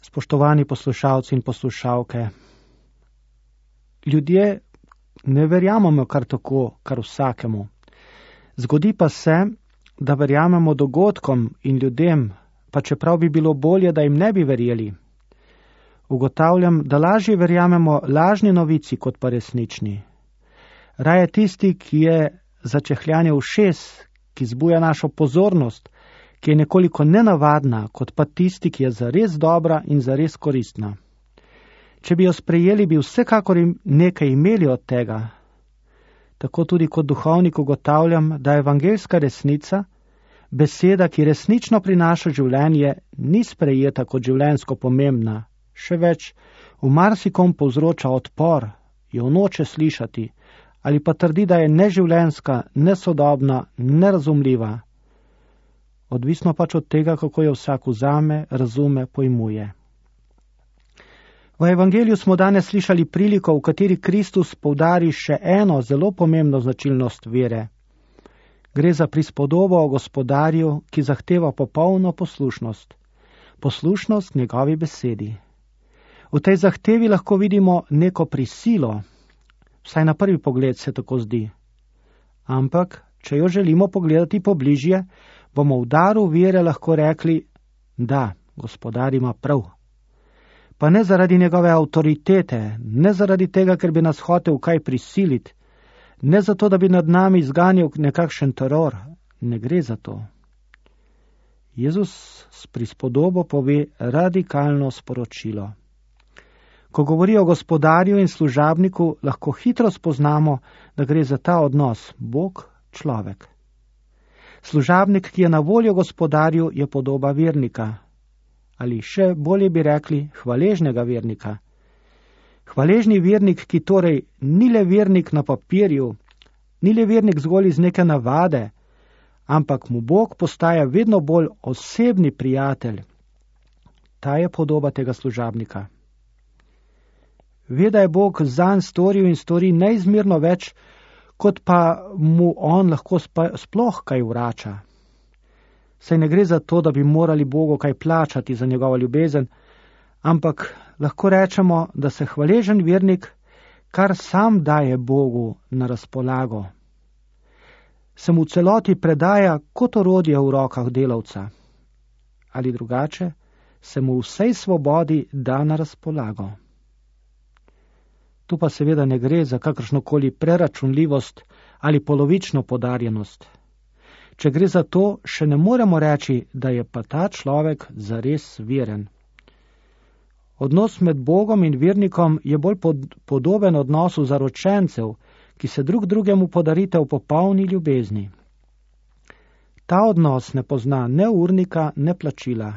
Spoštovani poslušalci in poslušalke, ljudje ne verjamemo kar tako, kar vsakemu. Zgodi pa se, da verjamemo dogodkom in ljudem, pa čeprav bi bilo bolje, da jim ne bi verjeli. Ugotavljam, da lažje verjamemo lažni novici kot pa resnični. Raje tisti, ki je začehljanje ušes, ki zbuja našo pozornost, ki je nekoliko nenavadna, kot pa tisti, ki je zares dobra in zares koristna. Če bi jo sprejeli, bi vsekakor nekaj imeli od tega. Tako tudi kot duhovnik ugotavljam, da evangeljska resnica, beseda, ki resnično prinaša življenje, ni sprejeta kot življenjsko pomembna. Še več, v marsikom povzroča odpor, jo noče slišati, ali pa trdi, da je neživljenjska, nesodobna, nerazumljiva. Odvisno pač od tega, kako jo vsak vzame, razume, pojmuje. V evangeliju smo danes slišali priliko, v kateri Kristus poudari še eno zelo pomembno značilnost vere. Gre za prispodobo o gospodarju, ki zahteva popolno poslušnost. Poslušnost njegovi besedi. V tej zahtevi lahko vidimo neko prisilo, vsaj na prvi pogled se tako zdi. Ampak, če jo želimo pogledati pobližje, bomo v daru vere lahko rekli, da, gospodar ima prav. Pa ne zaradi njegove avtoritete, ne zaradi tega, ker bi nas hotel kaj prisiliti, ne zato, da bi nad nami izganjal nekakšen teror, ne gre za to. Jezus s prispodobo pove radikalno sporočilo. Ko govori o gospodarju in služabniku, lahko hitro spoznamo, da gre za ta odnos Bog-človek. Služabnik, ki je na voljo gospodarju, je podoba vernika. Ali še bolje bi rekli hvaležnega vernika. Hvaležni vernik, ki torej ni le vernik na papirju, ni le vernik zgolj iz neke navade, ampak mu Bog postaja vedno bolj osebni prijatelj. Ta je podoba tega služabnika. Ve, da je Bog zanj storil in stori neizmerno več, kot pa mu on lahko sploh kaj vrača. Saj ne gre za to, da bi morali Bogu kaj plačati za njegovo ljubezen, ampak lahko rečemo, da se hvaležen vernik kar sam daje Bogu na razpolago. Se mu celoti predaja kot orodje v rokah delavca. Ali drugače, se mu vsej svobodi da na razpolago. Tu pa seveda ne gre za kakršnokoli preračunljivost ali polovično podarjenost. Če gre za to, še ne moremo reči, da je pa ta človek zares veren. Odnos med Bogom in vernikom je bolj podoben odnosu zaročencev, ki se drug drugemu podarite v popolni ljubezni. Ta odnos ne pozna ne urnika, ne plačila.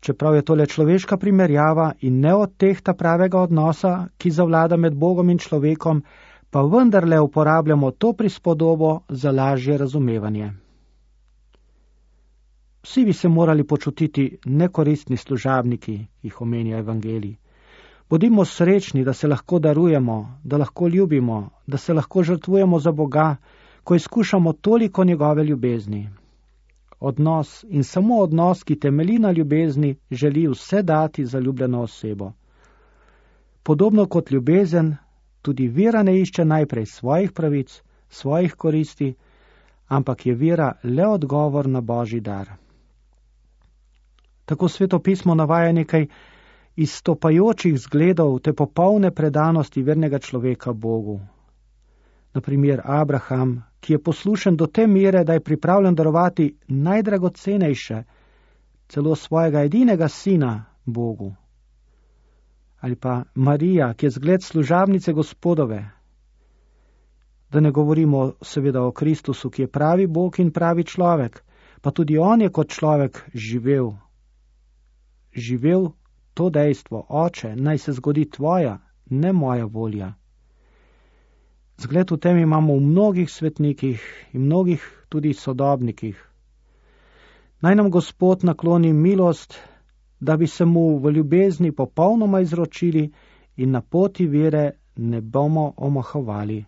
Čeprav je to le človeška primerjava in ne odtehta pravega odnosa, ki zavlada med Bogom in človekom, pa vendarle uporabljamo to prispodobo za lažje razumevanje. Vsi bi se morali počutiti nekoristni služabniki, jih omenja evangelij. Bodimo srečni, da se lahko darujemo, da lahko ljubimo, da se lahko žrtvujemo za Boga, ko izkušamo toliko njegove ljubezni. Odnos in samo odnos, ki temelji na ljubezni, želi vse dati za ljubljeno osebo. Podobno kot ljubezen, tudi vera ne išče najprej svojih pravic, svojih koristi, ampak je vera le odgovor na Božji dar. Tako Sveto pismo navaja nekaj izstopajočih zgledov te popolne predanosti vernega človeka Bogu. Na primer Abraham, ki je poslušen do te mere, da je pripravljen darovati najdragocenejše, celo svojega edinega sina Bogu. Ali pa Marija, ki je zgled služabnice Gospodove. Da ne govorimo seveda o Kristusu, ki je pravi Bog in pravi človek, pa tudi on je kot človek živel. Živel to dejstvo, Oče, naj se zgodi tvoja, ne moja volja. Zgled v tem imamo v mnogih svetnikih in mnogih tudi sodobnikih. Naj nam Gospod nakloni milost, da bi se mu v ljubezni popolnoma izročili in na poti vere ne bomo omahovali.